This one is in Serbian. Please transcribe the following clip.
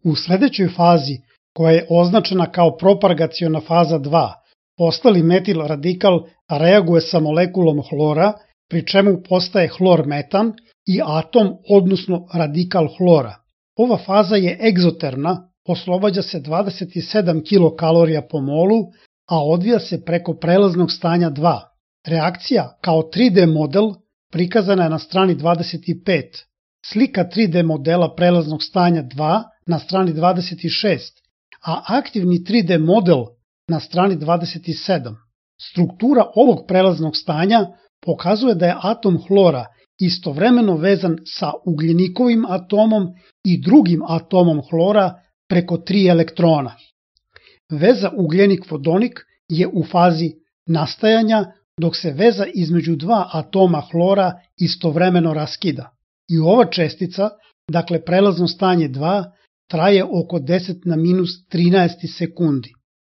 U sledećoj fazi, koja je označena kao propagaciona faza 2, ostali metil radikal reaguje sa molekulom hlora, pri čemu postaje hlor-metan i atom, odnosno radikal hlora. Ova faza je egzotermna, oslobađa se 27 kilokalorija po molu, a odvija se preko prelaznog stanja 2. Reakcija kao 3D model prikazana je na strani 25. Slika 3D modela prelaznog stanja 2 na strani 26, a aktivni 3D model na strani 27. Struktura ovog prelaznog stanja pokazuje da je atom hlora istovremeno vezan sa ugljenikovim atomom i drugim atomom hlora preko 3 elektrona. Veza ugljenik-vodonik je u fazi nastajanja, dok se veza između dva atoma hlora istovremeno raskida. I ova čestica, dakle prelazno stanje 2, traje oko 10 na minus 13 sekundi.